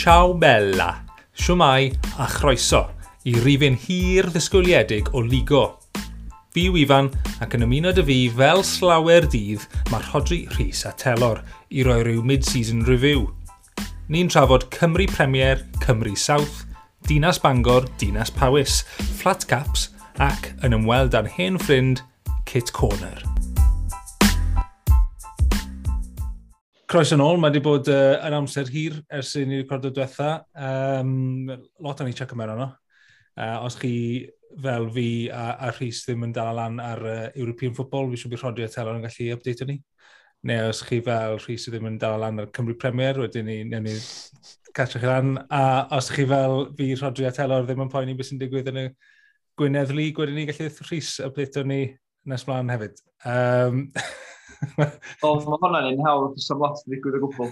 Ciao bella, siwmai a chroeso i rifyn hir ddisgwyliedig o Ligo. Fi yw Ifan ac yn ymuno dy fi fel slawer dydd mae Rhodri Rhys a Telor i roi rhyw mid-season review. Ni'n trafod Cymru Premier, Cymru South, Dinas Bangor, Dinas Powys, Flat Caps ac yn ymweld â'n hen ffrind Kit Corner. Croeso nôl, mae wedi bod yn amser hir ers i ni recordo diwetha. Lot o'n i check mewn arno. Os chi fel fi a Rhys ddim yn dal lan ar European Football, fi siŵr bydd Rhodri a Telor yn gallu update ni. Neu os chi fel Rhys ddim yn dal lan ar Cymru Premier, wedyn ni, newn ni catch chi lan. A os chi fel fi, Rhodri a Telor ddim yn poeni beth sy'n digwydd yn y Gwynedd League, wedyn ni gallu Rhys update ni nes mlaen hefyd. O, mae hwnna'n un hawdd, does am lot yn digwydd o gwbl.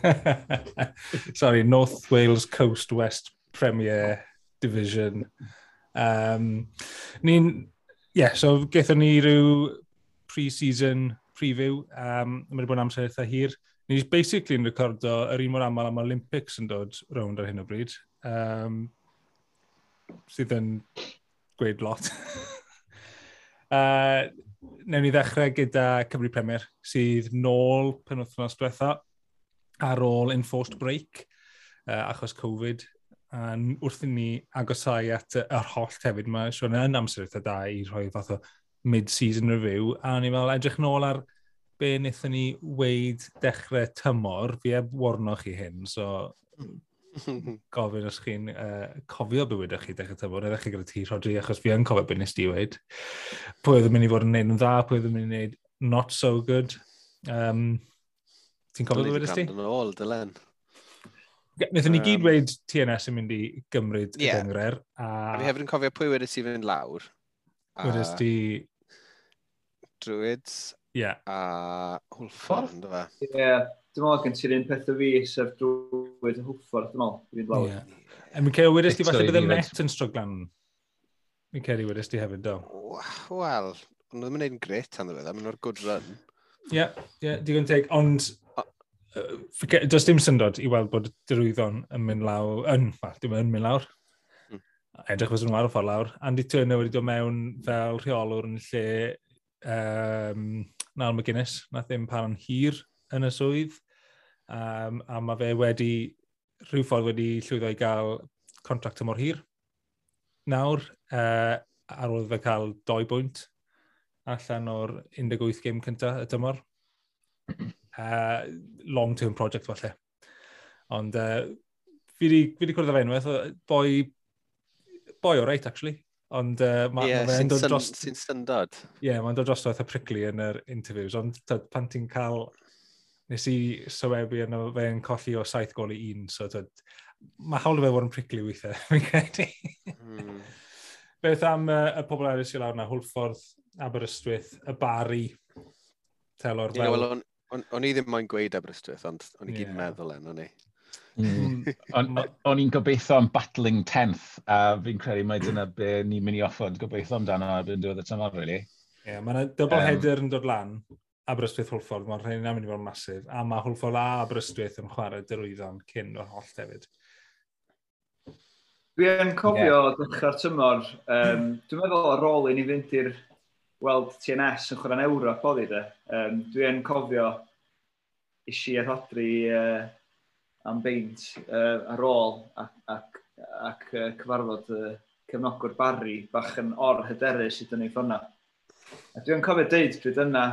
Sorry, North Wales Coast West Premier Division. Ni'n, yeah, so gaethon ni rhyw pre-season preview. Mae wedi bod yn amser eitha hir. Ni'n basically yn recordo yr un mor aml am Olympics yn dod rownd ar hyn o bryd. Sydd yn gweud lot. Newn ni ddechrau gyda Cymru Premier, sydd nôl penwythnos diwetha ar ôl enforced break, achos Covid. A wrth i ni agosau at yr hollt hefyd, mae Siôn yn amser eitha da i rhoi fath o mid-season review. A ni'n meddwl edrych nôl ar be wnaethon ni weid dechrau tymor, fi heb warno chi hyn, so gofyn os chi'n cofio be wedoch chi dechrau tymor, neu ddechrau gyda ti, Rhodri, achos fi yn cofio be nes di weid. Pwy oedd yn mynd i fod yn neud yn dda, pwy oedd yn mynd i wneud not so good. Ti'n cofio be wedes ti? Yn ôl, dylen. Wnaethon ni gyd weid TNS yn mynd i gymryd y gynghrair. A fi hefyd yn cofio pwy wedes i fynd lawr. Wedes ti... Druids. A Hwlffordd, ynddo fe? Ie, dwi'n meddwl gen ti'r un peth o fi, sef Druid a Hwlffordd, dwi'n meddwl, i fynd lawr. Ie. A mi'n credu wedes ti falle bydd y Met yn stryglan. Mi'n credu wedes ti hefyd, do. Wel, ond nhw ddim yn gwneud yn gret tan ddiweddar, maen nhw'r good run. Ie, ie, digon teg, ond does dim syndod i weld bod Derwyddon yn mynd lawr, yn, well, dim yn mynd lawr. Edrych fysa nhw ar y ffordd lawr. Andy Turner wedi dod mewn fel rheolwr yn lle Niall McGuinness, nath ddim para'n hir yn y swydd. A mae fe wedi, rhyw ffordd wedi llwyddo i gael contract tymor hir. Nawr, ar ôl fe cael 2 bwynt allan o'r 18 gêm cyntaf y tymor. Long-term project falle. Ond fi wedi cwrdd â fe unwaith, boi o reit, actually. Ond ma fe'n dod dros... Sy'n syndod. Ie, yeah, mae'n dod drosto eitha prickly yn yr interviews, ond tyd, pan ti'n cael... Nes i sylwebu yno fe'n colli o 7 gol i 1, so tyd, mae hawl i fe fod yn prickly weithiau, fi'n credu. Beth am y pobl eraill sy'n lawr yna, Hwlffordd, Aberystwyth, y Barri, Telor fel... Well, o'n i ddim moyn gweud Aberystwyth, ond o'n i gyd yn meddwl en, o'n i. O'n i'n gobeithio am battling 10th, a fi'n credu mai dyna be ni'n mynd i offod gobeithio amdano erbyn diwedd y tymor, really. Ie, yeah, mae yna double header yn dod lan, Aberystwyth Hwlffordd, mae'r rhain yn mynd i fod yn masif, a mae Hwlffordd a Aberystwyth yn chwarae Derwyddon cyn o'r hollt hefyd. Dwi yn cofio dechrau'r tymor, dwi'n meddwl ar ôl i ni fynd i'r weld TNS yn chwarae'n Ewrop oedd hi de. Dwi yn cofio isi a Rhodri am beint ar ôl ac cyfarfod cefnogwr Barri bach yn or-hyderus i dynnu ffona. A dwi'n cofio deud pryd yna,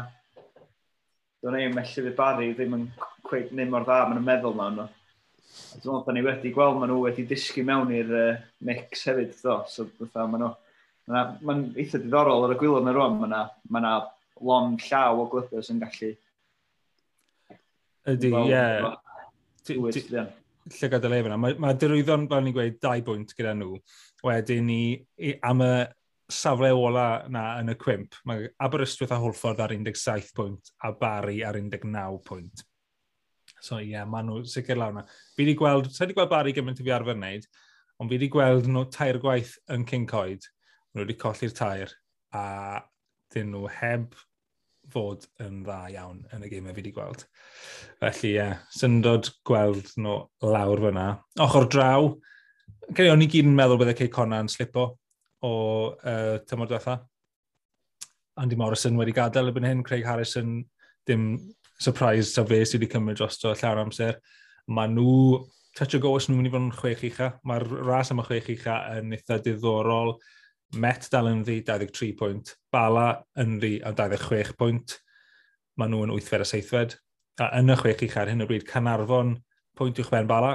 do'n i'm felly fydd Barri ddim yn cweit ddim mor dda, maen nhw'n meddwl mewn nhw. A dwi'n meddwl bod ni wedi gweld maen nhw wedi disgyn mewn i'r mix hefyd, do. So fatha maen nhw, mae'n eitha diddorol ar y gwaelod na rwan, mae yna lond llaw o glybiau sy'n gallu... Ydy, ie. Llygad y le fyna. Mae Derwyddon, fel ni'n gweud, 2 bwynt gyda nhw. Wedyn ni, am y safle ola na yn y cwymp, mae Aberystwyth a Hwlffordd ar 17 pwynt a Barri ar 19 pwynt. So ie, yeah, maen nhw sicr lawr na. Fi wedi gweld, sa i wedi gweld Barri gymaint i fi arfer wneud, ond fi wedi gweld nhw 3 gwaith yn Cyncoed. Maen nhw wedi colli'r 3 a dyn nhw heb fod yn dda iawn yn y gemau fi wedi gweld. Felly, ie, yeah, syndod gweld nhw lawr fyna. Ochr draw, credu o'n i gyd yn meddwl bydde Cei Connah yn slipo o tymor diwetha. Andy Morrison wedi gadael erbyn hyn, Craig Harrison, dim surprise ta fe sydd wedi cymryd drosto llawer amser. Mae nhw, touch o go os nhw'n mynd i fod yn chwech ucha. Mae'r ras am y chwech ucha yn eitha diddorol. Met dal yn ddi, 23 pwynt. Bala yn ddi a 26 pwynt. Mae nhw yn 8fed a 7fed. A yn y chwech ucha ar hyn o bryd, Caernarfon pwynt uwch ben Bala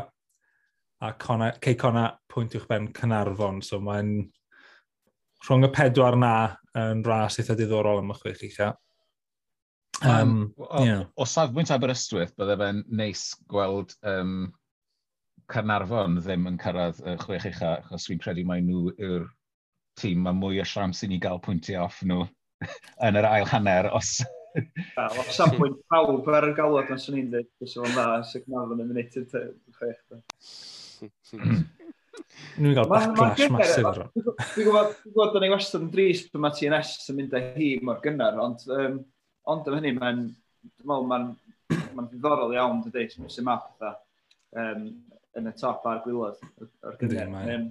a Conna, Cei Connah pwynt uwch ben Caernarfon. So mae'n rhwng y pedwar na yn ras eitha diddorol am y chwech ucha. Yeah. O safbwynt Aberystwyth, bydde fe'n neis gweld Caernarfon ddim yn cyrraedd y chwech ucha, achos fi'n credu mai nhw yw'r tîm mae mwy o siawns i ni gael pwyntiau off nhw yn yr ail hanner os. Wel, o safbwynt pawb ar y galwad, mae'n swn i'n dweud, bys o'n dda, sy'n Caernarfon yn mynd i'r chwech. Nhw'n cael backlash masif ar hwn. Dwi'n gwybod bod ni wastad yn drist pan mae TNS yn mynd â hi mor gynnar, ond am hynny, mae'n ma ddiddorol iawn, dydy, sy'n ma pethau yn y top a'r gwaelod o'r gynnar.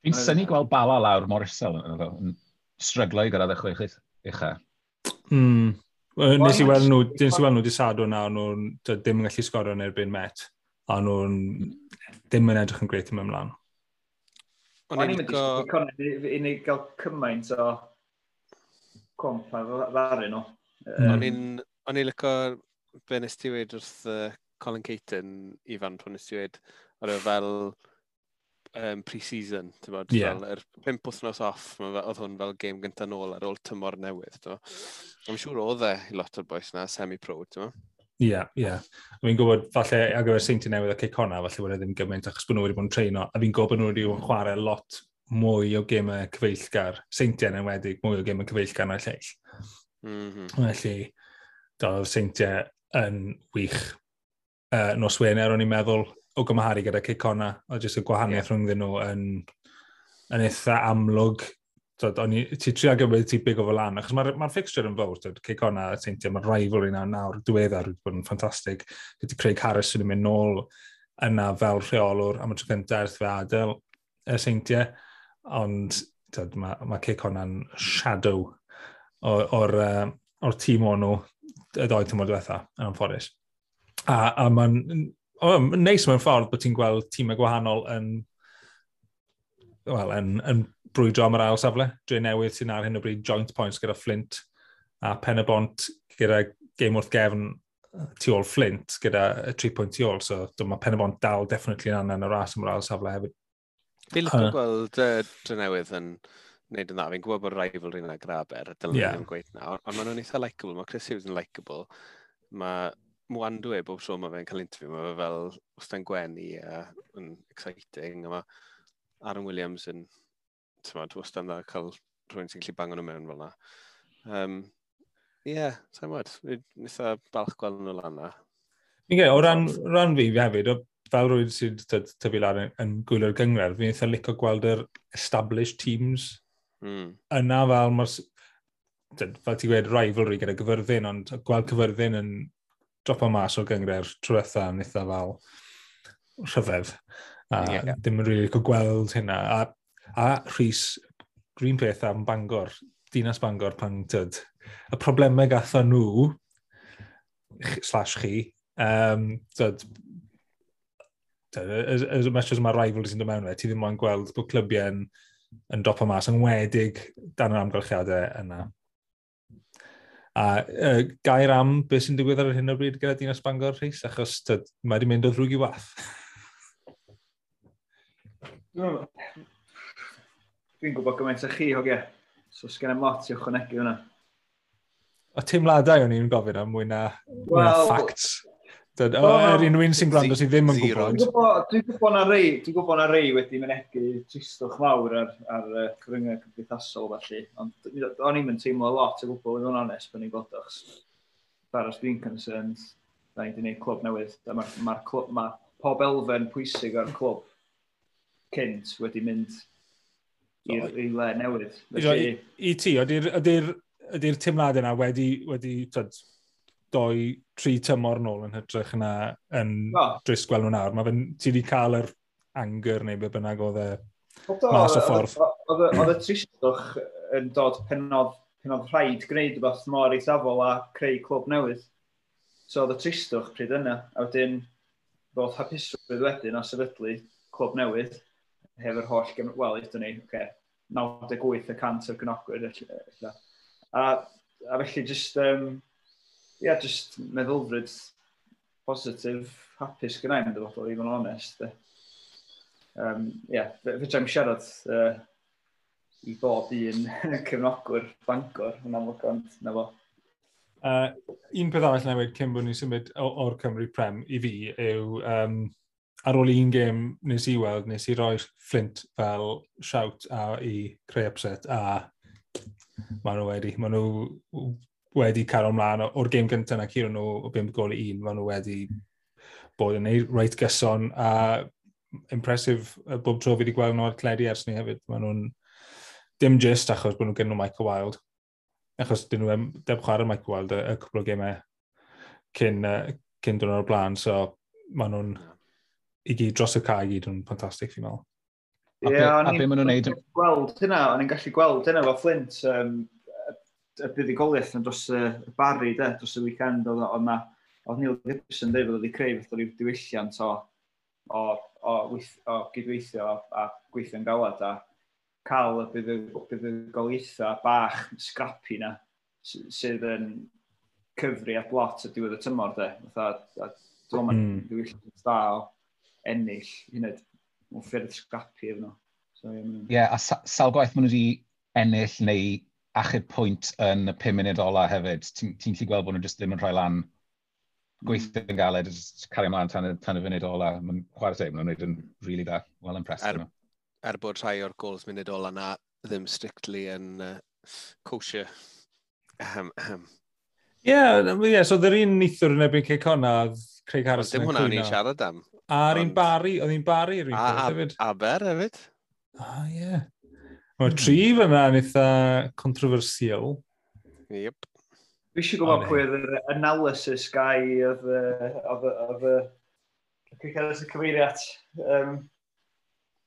Fi'n synnu gweld Bala lawr mor isel yn stryglo i gyrraedd y chwech ucha. Nes i weld nhw, nes i weld nhw di Sadwrn na, nhw'n ddim yn gallu sgorio yn erbyn Met, a nhw'n ddim yn edrych yn grêt yn ymlaen. O'n i'n mynd i ni gael cymaint o comp ar ddaru nhw. O'n i'n licio be nes ti weud wrth Colin Caton, Ifan, pan nes ti weud, oedd e fel pre-season, ti'n bod, yeah. Fel yr 5 wythnos off, oedd hwn fel game gyntaf nôl ar ôl tymor newydd, ti'n bod. I'm siŵr oedd e i lot o'r boys na, semi-pro, ti'n bod. Ie, ie. Fi'n gwybod, falle, ar gyfer Seintiau Newydd a Cei Connah, falle bod e ddim gymaint, achos bod nhw wedi bod yn treino, a fi'n gwybod bod nhw wedi bod yn chwarae lot mwy o gemau cyfeillgar, Seintiau yn enwedig, mwy o gemau cyfeillgar na'r lleill. Felly, doedd Seintiau yn wych. Nos Wener, o'n i'n meddwl, o gymharu gyda Cei Connah, o jyst y gwahaniaeth rhwngddyn nhw yn eitha amlwg. Ti trio gymryd ti big o fel lan, achos mae'r ma fixture yn fawr, Cei Connah a Seintiau, mae'r rivalry na nawr, diweddar wedi bod yn ffantastig. Gyda Craig Harris sy'n mynd nôl yna fel rheolwr am y tro cyntaf ers fe adael y Seintiau, ond mae Cei Connah'n shadow o'r tîm o'n nhw y ddoi tymor diwetha, yn anffodus. A mae'n neis mewn ffordd bod ti'n gweld tîmau gwahanol yn brwydro am yr ail safle. Dre Newydd sy'n ar hyn o bryd joint points gyda Flint a Pen y Bont gyda game wrth gefn tu ôl Flint gyda 3 pwynt tu ôl. So mae Pen y Bont dal definitely yn yn y ras am yr ail safle hefyd. Fi'n licio gweld Dre Newydd yn wneud yn dda. Fi'n gwybod bod rivalry yna Graber, dylen yeah. Ddim gweud nawr, ond maen nhw'n eitha likeable. Mae Chris Hughes yn likeable. Mae Mwandwe bob tro mae fe'n cael interview, mae fe fel wastad gwenu a yn exciting. A mae Aaron Williams yn, ti'n wastad yn dda cael rhywun sy'n gallu bango nhw mewn fel yna. Ie, sa'n gwybod, fi'n eitha balch gweld nhw lan na. Fi'n gwybod, o ran fi hefyd, fel rhywun sy'n tyfu lan yn gwylio'r gynghrair, fi'n eitha licio gweld yr established teams yna fel, fel ti'n gweud, rivalry gyda Gyfyrddin, ond gweld Cyfyrddin yn dropo mas o'r gynghrair tro diwetha yn eitha fel rhyfedd. A ddim yn rili licio gweld hynna. A Rhys, green peth am Bangor, Dinas Bangor pan tyd, y problemau gatho nhw, slash chi, tyd, as much as mae rivalries yn dod mewn fe, ti ddim moyn gweld bod clybiau yn dropo mas, yn wedig dan yr amgylchiadau yna. A gair am beth sy'n digwydd ar hyn o bryd gyda Dinas Bangor, Rhys, achos tyd, mae wedi mynd o ddrwg i wath. Dwi'n gwybod gymaint o chi, hogia. So sgen i'm lot i ychwanegu hwnna. O teimladau o'n i'n gofyn am mwy na facts. Yr unrhyw un sy'n gwrando sydd ddim yn gwybod. Dwi'n gwybod na rei wedi mynegu tristwch mawr ar cyfryngau cymdeithasol felly, ond o'n i'm yn teimlo lot o gwbl i fod yn onest pan i'n gweld o, achos far as dwi'n concerned, da ni wedi gwneud clwb newydd, a mae pob elfen pwysig o'r clwb cynt wedi mynd i le newydd. Felly, i ti, ydy'r Ydy'r teimladau yna wedi tyd, 2, 3 tymor nôl yn hytrach na yn dris gweld nhw nawr. Mae fe'n, ti wedi cael yr anger neu be bynnag oedd e mas o ffordd. Oedd y tristwch yn dod pen oedd rhaid gwneud rhywbeth mor eithafol a creu clwb newydd. So oedd y tristwch pryd yna. A wedyn, ddoth hapusrwydd wedyn o sefydlu clwb newydd hefo'r holl, wel, ydyn ni, okay, 98% o'r cefnogwyr. Ella. A felly just, yeah, just meddylfryd positif, hapus gyda i'n dyfodol, i fod yn onest. Yeah, fedra i'm siarad i bob un cefnogwr Bangor yn amlwg, ond na fo. Un peth arall newid cyn bod ni'n symud o'r Cymru Prem i fi yw ar ôl un gêm nes i weld, nes i roi Flint fel shout a i creu upset a maen nhw wedi cael ymlaen o'r gêm gyntaf na curo nhw o 5 gôl i 1, maen nhw wedi bod yn ei reit gyson a impressive bob tro fi wedi gweld nhw ar teledu ers ni hefyd. Maen nhw'n dim just achos bod nhw gen nhw Michael Wilde, achos dyn nhw ddim chwarae Michael Wilde y cwpl o gemau cyn dod o'r blaen, so maen nhw'n i gyd dros y cae i gyd yn ffantastig, fi'n meddwl. A be maen nhw'n neud? Gweld hynna, o'n i'n gallu gweld hynna efo Flint, y buddugoliaeth yn dros y Barry, de, dros y weekend, oedd Neil Gibson dweud bod wedi creu fath o ryw diwylliant o gydweithio a gweithio'n galad a cael y buddugoliaethau bach scrappy na sydd yn cyfri at lot o diwedd y tymor, de. Fatha, a dwi'n meddwl mae'n diwylliant da o ennill, hynny, mewn ffyrdd scrappy efo nhw. So, ie, yeah, a sawl gwaith maen nhw wedi ennill neu achub pwynt yn y 5 munud ola hefyd. Ti'n gallu gweld bod nhw jyst ddim yn rhoi lan, gweithio yn galed, jyst cario ymlaen tan y funud ola. Mae'n chwarae teg, maen nhw'n gwneud yn really da. Well impressed. Er bod rhai o'r goals munud ola na ddim strictly yn kosher. Ahem, ahem. Ie, so oedd yr un neithiwr yn erbyn Cei Connah, oedd Craig Harrison Dim hwnna o'n i'n siarad am. A'r un Barry, oedd un Barry yr un peth hefyd. Aber hefyd. Ah, ie. Mae'r tri fyna yn eitha controversial. Yep. Fi eisiau gwybod pwy oedd yr analysis guy oedd y Craig Harrison cyfeirio at.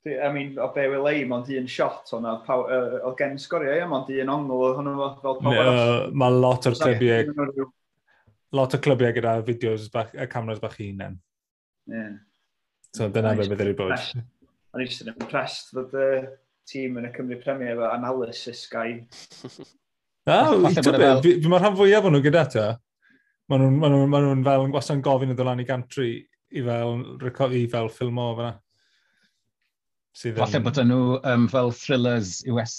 I mean, o be wela i, mond un shot o'na, oedd gen sgorio, ie, mond un ongl oedd hwnnw fel pawb arall. Mae lot o'r clybiau gyda fideos bach, y cameras bach i hunain. So dyna be bydd wedi bod. O'n i jyst yn impressed fod y tîm yn y Cymru Premier efo analysis guy. Na, fi mae'r rhan fwyaf o'n nhw gyda ta. Maen nhw fel yn gwastad yn gofyn iddo lan i gantry i fel ffilmo fyna. Sydd Falle bod nhw fel thrillers, US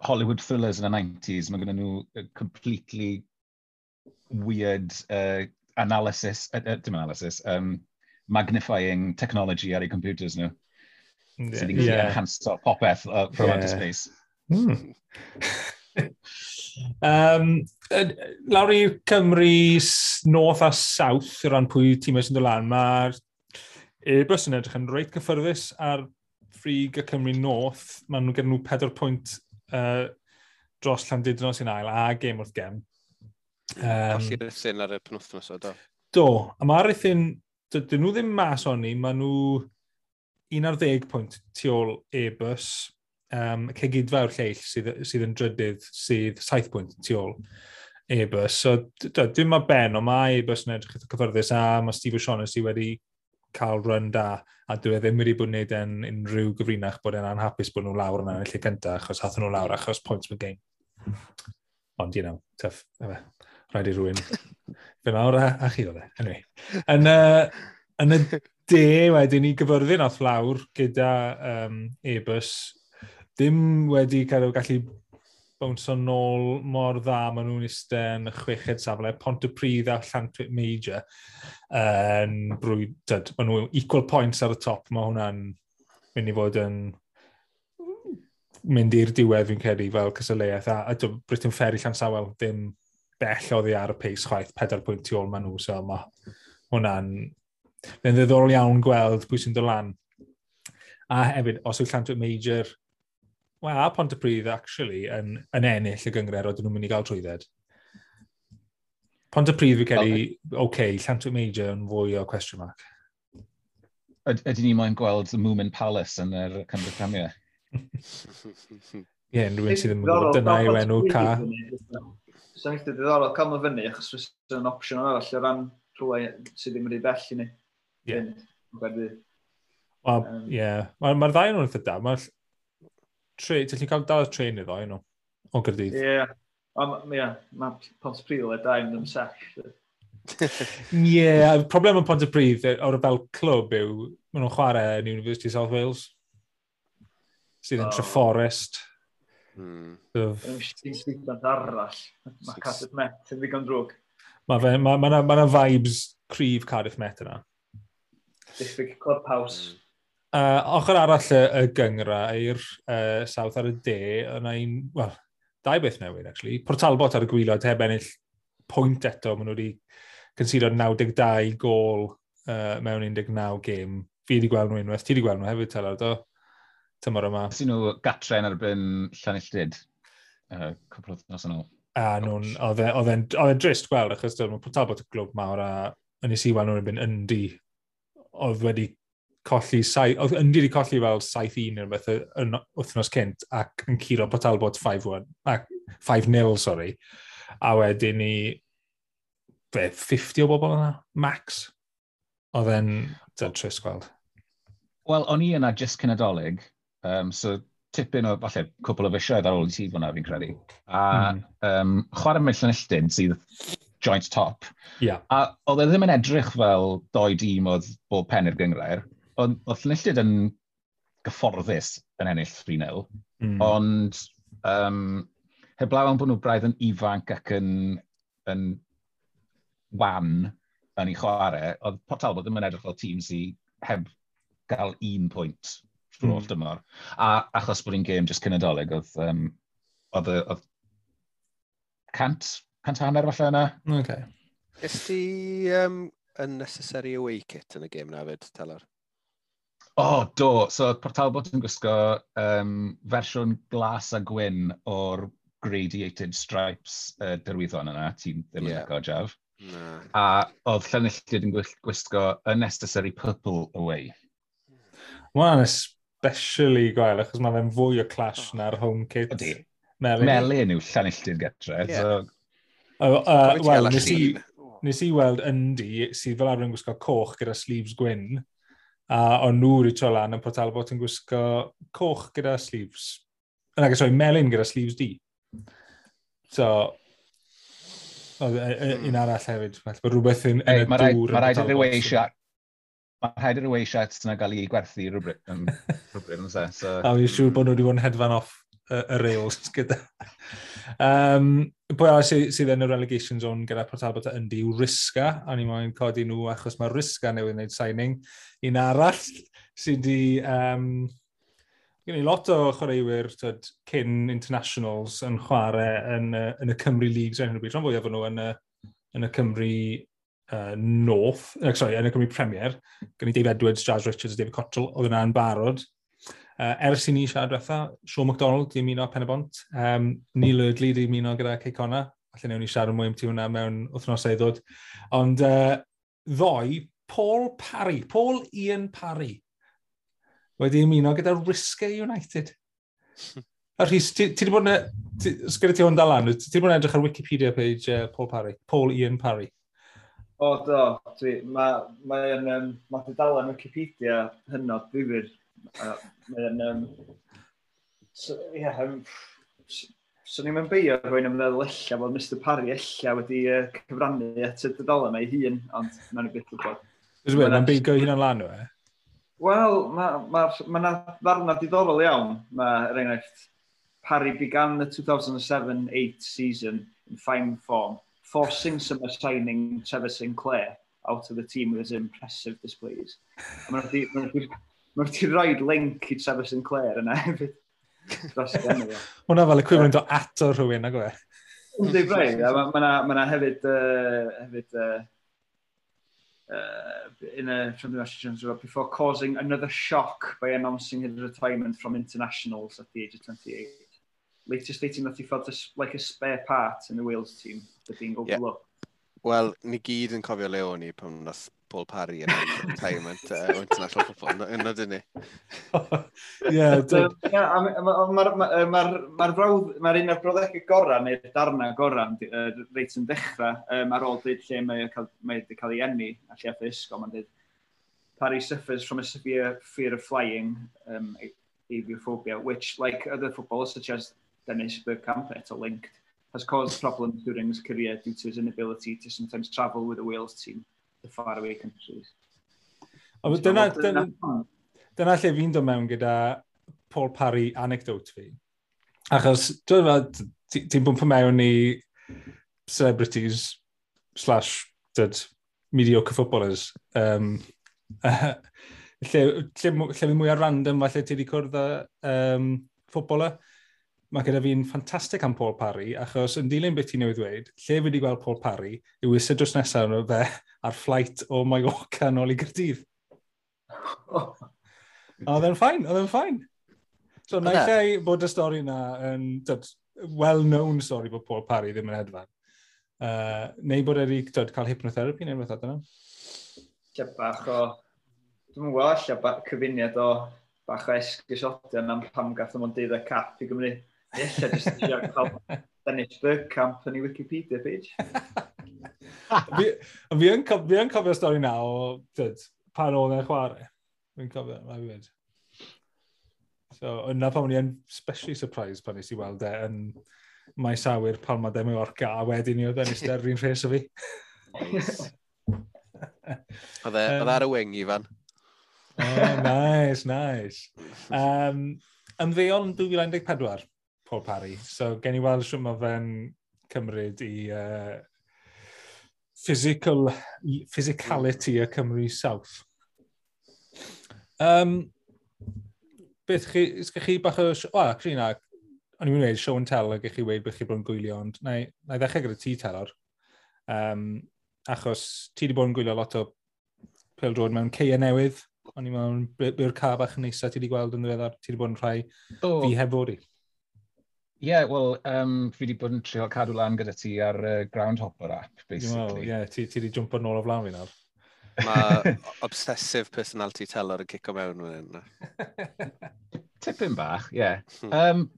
Hollywood thrillers yn y 90s, mae gen nhw completely weird analysis, dim analysis, magnifying technology ar eu computers nhw. Sydd yn gallu enhanso popeth from outer space. Lawr i Cymru North a South, o ran pwy tîmau sy'n dod lan, mae'r Airbus yn edrych yn reit cyffyrddus ar frig y Cymru North. Maen nhw gyda nhw 4 pwynt dros Llandudno sy'n ail a gêm wrth gem. Colli Rhuthun ar y penwthnos o, do. Do, a mae Rhuthun, dyn nhw ddim mas onni, maen nhw 11 pwynt tu ôl Airbus. Cegidfa yw'r lleill sydd yn drydydd, sydd 7 pwynt tu ôl Airbus. So, dim mae ben, ond mae Airbus yn edrych eitha cyffyrddus a mae Steve O'Shaughnessy wedi cael run da a dwi e ddim wedi bod yn gwneud e'n unrhyw gyfrinach bod e'n anhapus bod nhw lawr yna yn y lle cyntaf achos hathon nhw lawr achos points per game. Ond, tough, efe, rhaid i rhywun fe nawr a chi oedd e. Anyway. Yn y de wedyn i Gyfyrddin off lawr gyda Airbus, ddim wedi cael gallu bownso nôl mor dda, maen nhw'n eistedd yn y chweched safle, Pontypridd a Llantwit Major yn brwyd, tyd, maen nhw equal points ar y top, mae hwnna'n mynd i fod yn mynd i'r diwedd fi'n credu fel cystadleuaeth, a Briton Ferry Llansawel ddim bell oddi ar y pace chwaith, 4 pwynt tu ôl maen nhw, so mae hwnna'n mae'n ddiddorol iawn gweld pwy sy'n dod lan. A hefyd, os yw Llantwit Major, Wel, a Pontypridd, actually, yn ennill y gynghrair, oedden nhw'n mynd i gael trwydded. Pontypridd fi credu, oce, okay, Llantwit Major yn fwy o question mark. Ydyn ni moyn gweld the Moomin Palace yn yr Cymru Premier? Ie, yeah, rhywun sydd ddim yn gwybod, dyna yw enw ca. Sa'n eitha diddorol cael nhw fyny, achos fysa'n opsiwn arall o ran rhywle sydd ddim yn rhy bell i ni. Ie. Wel, ie. Mae'r ma ddau nhw'n eitha da. Mae'r ti'n gallu cael dal y trên i ddau nhw, o Gaerdydd. Ie. Ie, mae Pontypridd le da i mynd am sesh. Ie, yeah, problem yn Pontypridd o'r fel clwb yw, maen nhw'n chwarae yn University of South Wales, sydd yn Treforest. Dim arall. Mae Cardiff Met yn ddigon drwg. Mae ma, ma, ma, ma vibes cryf Cardiff Met yna. Diffyg clubhouse. Ochr arall y gynghrair, South ar y de, yna un, wel, dau beth newydd, actually. Port Talbot ar y gwaelod heb ennill pwynt eto. Maen nhw wedi concedo 92 gol mewn 19 gêm. Fi wedi gweld nhw unwaith. Ti wedi gweld nhw hefyd, Telar, do? Tymor yma. Sy'n nhw gatre yn erbyn Llanilltud, cwpl o wythnos yn ôl. A nhw'n, oedd e'n drist gweld, achos mae Port Talbot y glwb mawr a yn i weld nhw'n erbyn Yndi, oedd wedi colli, oedd Yndi wedi colli fel 7-1 neu rhywbeth yn wythnos cynt ac yn curo Port Talbot 5-1, 5-0, sorry. A wedyn ni, be, 50 o bobl yna, max. Oedd e'n trist gweld. Wel, o'n i yna just cyn Nadolig, so tipyn o, falle, cwpl o fisoedd ar ôl i ti fod yna, fi'n credu. A chwarae mewn Llanilltud sydd joint top. A oedd e ddim yn edrych fel doi dîm oedd bob pen i'r gynghrair. Oedd Llanilltud yn gyfforddus yn ennill 3-0, ond heblaw am bod nhw braidd yn ifanc ac yn wan yn ei chwarae, oedd Port Talbot ddim yn edrych fel tîm sydd heb gael un pwynt trwy'r holl dymor. A achos bod hi'n gêm jyst cyn Nadolig, oedd 150 falle yna. Okay. Ges ti unnecessary away kit yn y gêm na fyd, Telor? O, oh, do. So, Port Talbot yn gwisgo fersiwn glas a gwyn o'r gradiated stripes derwyddon yna, ti'n ddim yn licio, Jav. Na. A oedd Llanilltud yn gwisgo unnecessary purple away. Mae hwnna'n especially gwael, achos mae fe'n fwy o clash na'r home kit. Ydy. Melyn. Melyn yw Llanilltud getre. Yeah. So, Wel, nes i weld Yndi, sydd fel arfer yn gwisgo coch gyda sleeves gwyn, a o'n nhw wedi troi lan yn Port Talbot yn gwisgo coch gyda sleeves. Nag, sorry, melyn gyda sleeves du. So, oedd un arall hefyd, felly bod rhywbeth yn y dŵr. Mae rhaid i'r away shirt Mae rhaid i'r away shirts yna gael ei gwerthu rhywbryd, rhywbryd, yn so. A fi'n siŵr bod nhw wedi bod yn hedfan off y rails gyda. Pwy arall sydd yn y relegation zone gyda Port Talbot a Yndi yw Risca, a ni moyn codi nhw achos mae Risca newydd wneud signing. Un arall sydd wedi... Gen i lot o chwaraewyr tyd, cyn internationals yn chwarae yn y Cymru Leagues ar hyn o bryd. Rhan fwyaf o'n nhw yn y Cymru North, sorry, yn y Cymru Premier. Gen i Dave Edwards, Jazz Richards, David Cottrell, oedd yna yn barod. Ers i ni siarad diwetha, Sean McDonald di ymuno Pen-y-bont, Neil Eardley di ymuno gyda Cei Connah. Falle newn ni siarad mwy am ti hwnna mewn wythnosau i ddod. Ond ddoe, Paul Parry, Paul Ian Parry, wedi ymuno gyda Risca United. A Rhys, ti wedi bod yn... Sgynna ti hwn dal lan, ti wedi bod yn edrych ar Wikipedia page Paul Parry, Paul Ian Parry. O, do. Mae dudalen Wikipedia hynod ddifyr. Mae'n... So, yeah, so ni'n mynd beio rhywun yn meddwl ella bod Mr Parry ella wedi cyfrannu at y dudalen ei hun, ond mae'n beth gwybod. Mae'n beigo hunan lan o e? Wel, mae ma, ma ma ddarna diddorol iawn. Mae, er enghraifft, Parry began the 2007-8 season in fine form, forcing summer signing Trevor Sinclair out of the team with his impressive displays. A Mae wedi rhoi link i Trevor Sinclair yna hefyd. Dros y enw. Hwna fel equivalent o ato rhywun, nag e? Yndi, braidd. A mae yna hefyd In a before causing another shock by announcing his retirement from internationals at the age of 28. Later stating that he felt like a spare part in the Wales team after being overlooked. Yeah. Wel, ni gyd yn cofio le o'n i pan nath Paul Parry yn retirement o international football. Yna dyn ni. Ie. Mae'r un o'r brawddegau gorau, neu'r darnau gorau, reit yn dechrau, ar ôl dweud lle mae wedi cael ei eni, a lle ath ysgol, mae'n dweud, "Parry suffers from a severe fear of flying, aviophobia, which, like other footballers such as Dennis Bergkamp, eto linked, has caused problems during his career due to his inability to sometimes travel with the Wales team to faraway countries." Ond dyna lle fi'n dod mewn gyda Paul Parry anecdote fi. Achos, dwi'n meddwl, ti'n bwmpo mewn i celebrities slash dyd, mediocre footballers. Lle fi mwyaf random falle ti wedi cwrdd â footballer. Mae gyda fi'n ffantastig am Paul Parry, achos yn dilyn beth ti'n newydd ddweud, lle fi wedi gweld Paul Parry yw eistedd drws nesaf nhw fe ar flight o Mallorca nôl i Gaerdydd. A oedd e'n fine, oedd e'n fine. So, naill ai bod y stori na yn dyd, well-known stori bod Paul Parry ddim yn hedfan. Neu bod e wedi dyd, cael hypnotherapy neu rhywbeth dyna. Lle bach o... Dwi'n gwybod, lle cyfuniad o bach o esgusodion am pam gath o'n 12 cap i Gymru. Ella jyst eisiau cael Dennis Bergkamp yn ei Wikipedia page. Fi yn cofio'r stori na o dyd, pan oedd e'n chwarae. Fi'n cofio, mae fi wedi. So, yna pan o'n i yn especially surprised pan nes i weld e yn maes awyr Palma de Mallorca, a wedyn i oedd e'n eistedd ar un rhes o fi. Oedd e ar y wing, Ifan. Oh, nice, nice. Ymddeol yn 2014, Paul Parry. So, gen i weld siwt mae fe'n cymryd i physicality y Cymru South. Beth chi, ysgech chi bach o... O, actually na, o'n i'n mynd i weud show and tell ac chi weud beth chi bod yn gwylio, ond na i ddechrau gyda ti, Telor. Achos ti wedi bod yn gwylio lot o pêl-droed mewn ceia newydd. O'n i'n meddwl, byw'r ca bach nesaf ti wedi gweld yn ddiweddar? Ti wedi bod yn rhai fi heb fod i. Ie, yeah, wel, fi wedi bod yn trio cadw lan gyda ti ar Groundhopper app, basically. Ie, yeah, ti wedi jumpo nôl o flaen fi nawr. Mae obsessive personality Telor yn cico mewn fan hyn. Tipyn bach, ie. Yeah.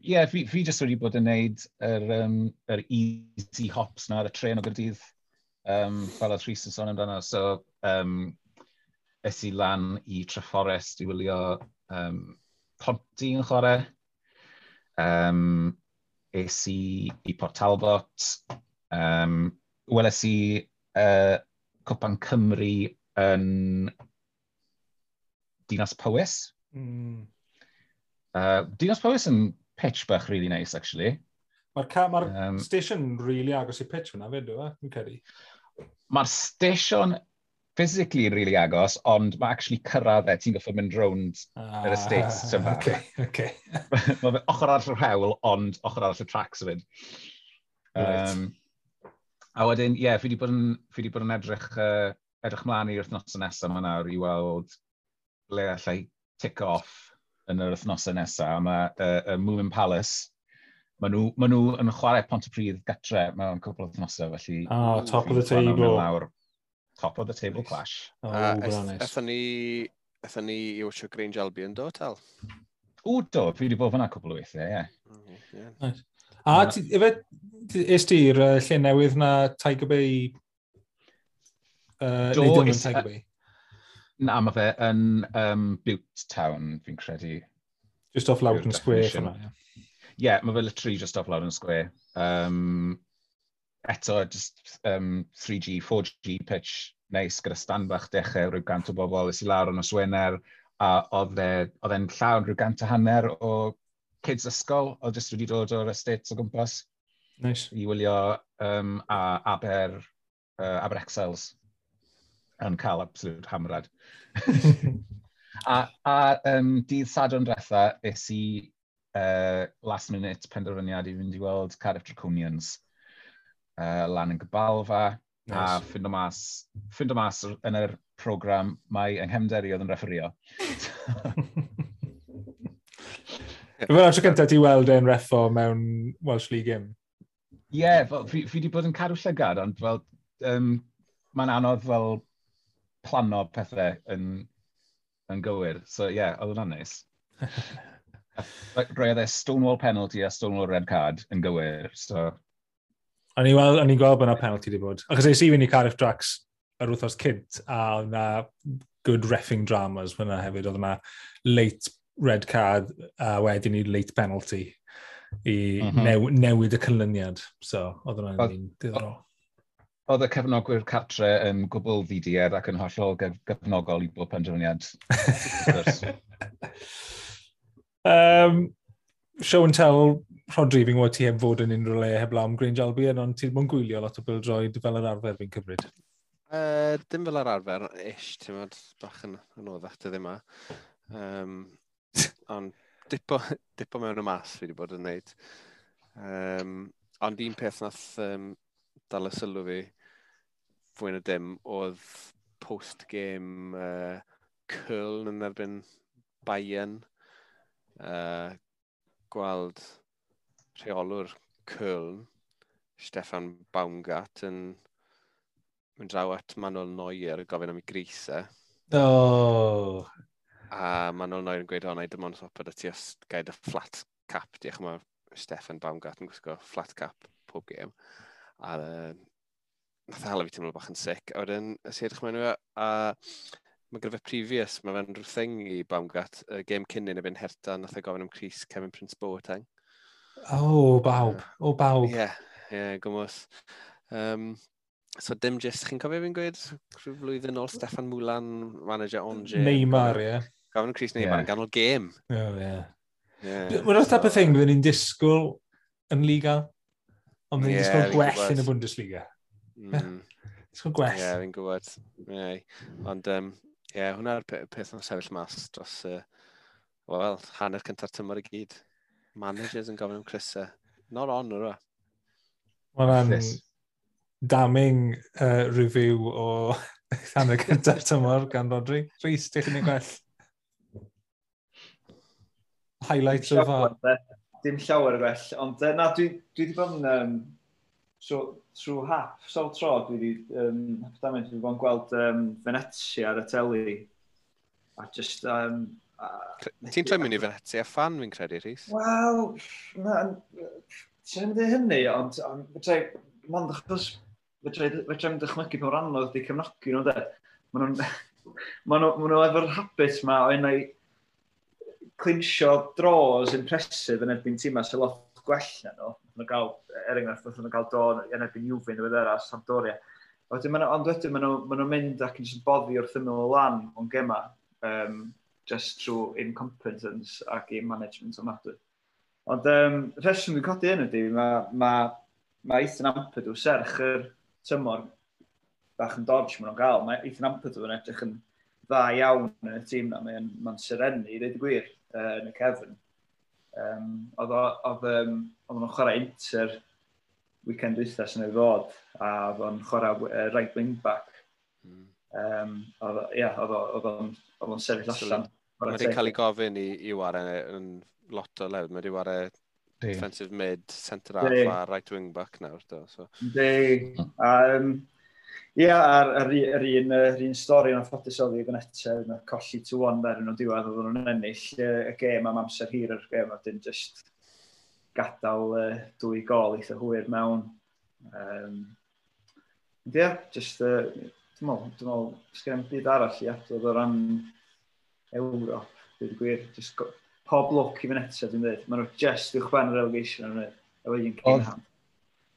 Yeah, fi jyst wedi bod yn neud yr easy hops na ar y tren o Gaerdydd, fel oedd Rhys yn sôn amdano. So, es i lan i Treforest i wylio Ponty yn chwarae. Es i Port Talbot. Weles i Cwpan Cymru yn Dinas Powys. Dinas Powys yn pitch bach really nice, actually. Mae'r ma station really agos i pitch fyna fyd, yw e? Fi'n credu. Mae'r station physically really agos, ond mae actually cyrraedd e, ti'n goffod mynd rownd yr estates. Ah, okay. Mae fe ochr arall yr hewl, ond ochr arall y tracks hefyd. Right. A wedyn, ie, yeah, fi wedi bod yn edrych mlaen i'r wythnosau nesaf yma nawr i weld ble allai tick off yn yr wythnosau nesaf. Mae Moomin Palace, ma nhw yn chwarae Pontypridd gatre mewn cwpl o wythnosau, felly Oh, top of the table. Lawr. Top of the table clash. Oh, nice. Ethon ni i watcho Grange Albion, do, Tel? O, do, fi wedi bod fyna cwpl o weithiau, ie. Yeah. Nice. A ti, efe, es ti i'r lle newydd na Tiger Bay? Do, neu dim yn Tiger Bay? Na, mae fe yn Bute Town, fi'n credu. Just off Loudoun yw'r Square. Definition. Fyna, ie. Yeah, mae fe literally just off Loudoun Square. Eto, just 3G, 4G pitch, neis, gyda stand bach dechrau, rhyw 100 o bobl, es i lawr yn nos Wener, a oedd e'n llawn rhyw 150 o kids ysgol, oedd jyst wedi dod o'r estates o gwmpas Nice. I wylio a Aber Exiles yn cael absolute hamrad. A dydd Sadwrn diwetha, es i last minute penderfyniad i fynd i weld Cardiff Draconians lan yn Gabalfa. Nice. A ffindo mas yn yr program mae yng nghefnder i oedd yn refferio. Fel tro cyntaf ti weld e'n reffo mewn Welsh League game? Ie, yeah, fel, fi wedi bod yn cadw llygad, ond fel, mae'n anodd fel plano pethau yn gywir. So ie, yeah, oedd hwnna'n neis. Roedd e Stonewall penalty a Stonewall red card yn gywir, so. O'n i'n gweld, o'n i'n gweld bod yna penalty wedi bod. Achos es i fynd i Cardiff Drax yr wythnos cynt, a oedd yna good reffing dramas fyna hefyd. Oedd yna late red card a wedyn i late penalty i newid y canlyniad. So, oedd hwnna'n un diddorol. Oedd y cefnogwyr cartre yn gwbl ddiduedd ac yn hollol gefnogol i bob penderfyniad. Show and tell, Rodri, fi'n gwybod ti heb fod yn unrhyw le heblaw am Grange Albion, ond ti'n mwyn gwylio lot o bêl-droed fel yr arfer fi'n cymryd? Dim fel yr arfer, ish, ti'n modd, bach yn anoddach dyddi yma. Ond dipo mewn y mas fi wedi bod yn neud. Ond un peth nath dal y sylw fi fwy na dim oedd post-game Köln yn erbyn Bayern. Gweld rheolwr Köln, Stefan Baumgart, yn mynd draw at Manuel Neuer gofyn am ei grisau. Oh. A Manuel Neuer yn gweud, "O, na i dim ond swap â ti os gai dy flat cap." Diolch, mae Stefan Baumgart yn gwisgo flat cap pob gêm. A nath e hala fi teimlo bach yn sick. A wedyn, es i edrych mewn i fe, a mae gyda fe previous, mae fe'n rhyw thing i Baumgart, y gêm cyn yn erbyn Hertha, nath e gofyn am crys Kevin Prince Boateng. Oh, bawb. O, bawb. Ie, gwmws. So dim just, chi'n cofio fi'n gweud, rhyw flwyddyn ôl Stefan Moulin, manager Angers? Neymar, ie. Gofyn am crys Neymar yn ganol gêm. Oh, ie. Yeah. Mae'n type of thing byddwn ni'n disgwyl yn Liga, ond byddwn ni'n disgwyl gwell yn y Bundesliga. Disgwyl gwell. Ie, yeah, fi'n gwybod. Yeah. Ond, ie, yeah, hwnna'r peth yn sefyll mas dros, wel, hanner cynta'r tymor i gyd. Managers yn gofyn am crysau. Not on, o'r Mae'n damning review o hanner cynta'r tymor gan Rodri. Rhys, diolch yn ei gwell. Highlights so far. Dim llawer o gwell, ond na, dwi wedi bod yn, so, trwy hap, sawl tro, dwi wedi, hap dwi wedi bod yn gweld Venezia ar y teli. A just Ti'n troi mewn i Venezia fan, fi'n credu, Rhys? Wel, na, ti'n mynd i hynny, ond fedra i, mond achos fedra i'm dychmygu pa mor anodd ydi cefnogi nhw, de. Ma nhw efo'r habit ma o unai clinsio draws impressive yn erbyn tîmau sy'n lot gwell na nhw. Nath nhw gael, er enghraifft, nath nhw gael draw yn erbyn Juve yn ddiweddara, Sampdoria. Wedyn, ond wedyn ma nhw'n mynd ac yn jyst boddi wrth ymyl y lan o'n gema, just trwy incompetence a game management ofnadwy. Ond rheswm dwi'n codi hyn ydy, ma Ethan Ampadu, serch yr tymor bach yn dodge maen nhw'n gael, mae Ethan Ampadu yn edrych yn dda iawn yn y tîm na, mae'n ma serennu, i ddweud y gwir, yn y cefn. Oedd nhw'n chwarae Inter weekend dwytha sy'n ei ddod, a oedd o'n chwarae right wing back. Oedd, ie, oedd o'n sefyll allan. Mae wedi cael ei gofyn i ware yn lot o lefydd. Mae wedi ware defensive mid, centre half a right wing back nawr. Do, so. Yndi. Ie, a'r yr un stori yn anffodus oedd i Venezia, na colli 2-1 der yn o diwedd, oedd nhw'n ennill y gêm am amser hir yr gêm, a dyn just gadael dwy gol eitha hwyr mewn. Ie, just, dwi'n meddwl, sgen i'm byd arall i adrodd o ran Ewrop, dweud y gwir. Just pob lwc i Venezia, dwi'n dweud. Maen nhw just uwch ben y relegation yn dweud. Efo un game hand.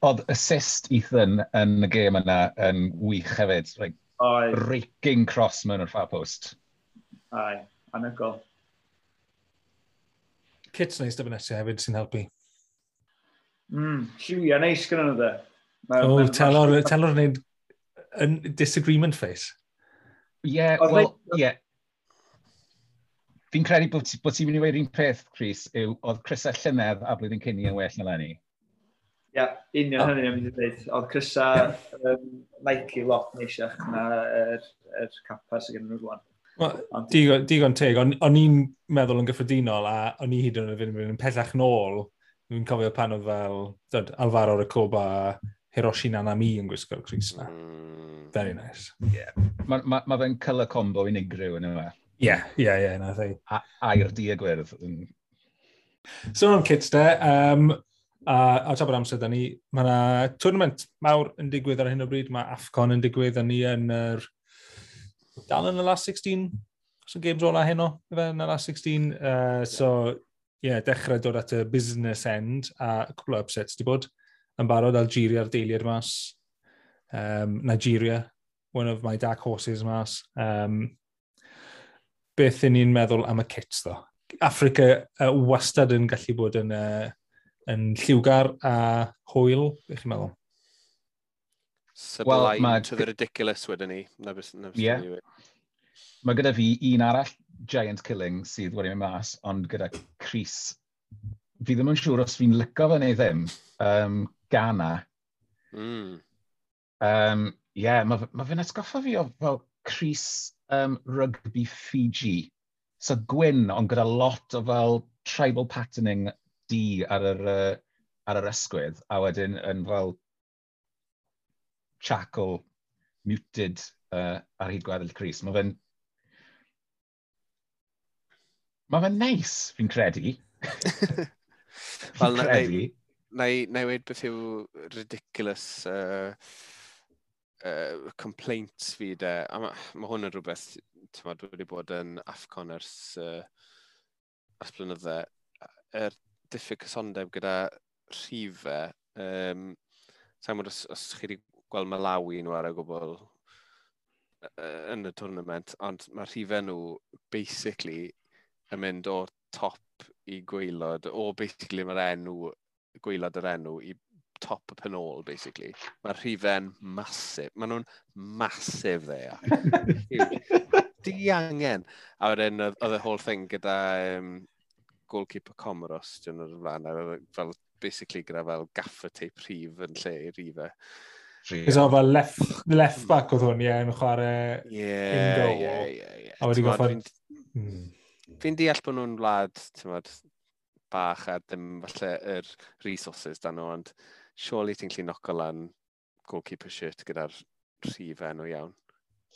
Oedd assist Ethan yn y gêm yna yn wych hefyd. Like, Oedd, raking cross mewn o'r far post. Ai, anhygoel. Kits neis da Venezia hefyd sy'n helpu. Lliwiau neis gyda nhw, de. O, oh, telor wneud yn disagreement face. Ie, yeah, wel, ie. Yeah. Fi'n credu bod ti'n mynd i weud un peth, Chris, yw oedd crysau llynedd a blwyddyn cyn i yn well na leni. Ie, yeah, union hynny am mynd i ddweud. Oedd crysa Nike lot neisiach na yr Kappa sydd gen nhw rwan. Well, digon teg, o'n i'n meddwl yn gyffredinol a o'n i hyd yn oed yn pellach nôl, dwi'n cofio pan oedd fel dod, Alvaro Recoba a Hiroshi Nanami yn gwisgo'r crys na. Very nice. Yeah. Mae ma fe'n colour combo unigryw yn yma. Ie, na thi. Aur du a gwyrdd. So am kits de, a tra bod amser da ni, mae yna tournament mawr yn digwydd ar hyn o bryd, mae AFCON yn digwydd, a ni yn yr... Dal yn y last 16, so games ola heno, ife, yn y last 16. So, ie, yeah, dechrau dod at y business end, a cwpl o upsets di bod. Yn barod, Algeria a'r deiliad mas. Nigeria, one of my dark horses mas. Beth y'n ni'n meddwl am y kits, ddo? Africa wastad yn gallu bod yn lliwgar a hwyl, beth chi'n meddwl? Sublime, well, to the ridiculous wedyn ni. Na beth, na beth. Yeah. Mae gyda fi un arall giant killing sydd wedi mynd mas, ond gyda crys. Fi ddim yn siŵr os fi'n licio fe neu ddim. Ghana. Yeah, mae fe'n atgoffa fi o fel crys rugby Fiji. So gwyn, ond gyda lot o fel tribal patterning du ar yr ysgwydd, a wedyn yn fel charcoal muted ar hyd gweddill crys. Mae fe'n neis, fi'n credu. Wel, Fi'n credu. Na i weud beth yw ridiculous complaints fi de. A ma hwn yn rhywbeth, ti'n wedi bod yn AFCON ers blynydde. Yr diffyg cysondeb gyda rhifau. Sa'n gwybod os chi wedi gweld Malawi nhw ar y gwbl yn y tournament, ond mae rhifau nhw basically yn mynd o top i gwaelod, o basically mae'r enw, gwaelod yr enw i top y penôl, basically. Mae'r rhifau'n massive. Maen nhw'n massive there. Di-angen. A wedyn oedd y whole thing gyda goalkeeper Comoros, dyn nhw'n flaen, a oedd fel, basically gyda fel gaffer tape rhif yn lle i rhifau. Cos o fel left back oedd hwn, ie, yn chwarae in goal. Ie. A wedi T'mod, goffod. Fi'n deall bod nhw'n wlad, t'mod, bach a ddim falle yr resources dan nhw, ond surely ti'n gallu knoco lan goalkeeper shirt gyda'r rhif enw iawn.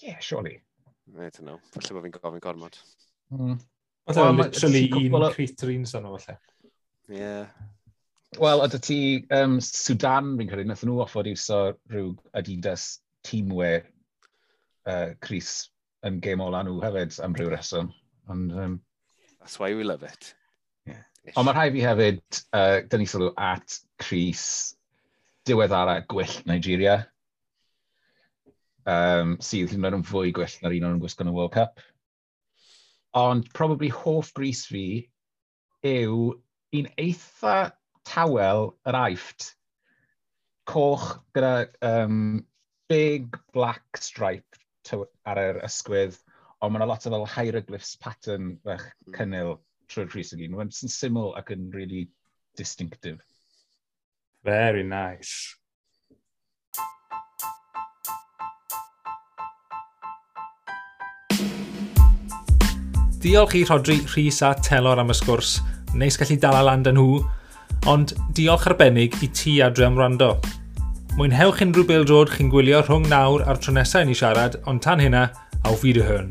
Yeah, surely. I don't know. Falle bod fi'n gofyn gormod. Falle Wel, literally ti'n un cwpl crit yr un son o falle. Yeah. Wel, ydy ti Sudan, fi'n credu, nath nhw offod iwso rhyw Adidas teamwear crys yn gêm ola nhw hefyd am ryw reswm. Ond, That's why we love it. Yeah. Ish. Ond mae rhai fi hefyd, dynnu sylw at crys diweddara gwyllt Nigeria, sydd hyd yn oed yn fwy gwyllt na'r un o'n nhw'n gwisgo yn y World Cup. Ond probably hoff grys fi yw un eitha tawel yr Aifft. Coch gyda big black stripe ar yr ysgwydd, ond mae yna lot o fel hieroglyphs pattern fach cynnil trwy'r crys i gyd. Mae'n syml ac yn really distinctive. Very nice. Diolch i Rhodri, Rhys a Telor am y sgwrs. Neis gallu dala lan 'da nhw, ond diolch arbennig i ti adre am wrando. Mwynhewch unrhyw bêl-droed chi'n gwylio rhwng nawr a'r tro nesaf i ni siarad, ond tan hynna, auf Wiederhören.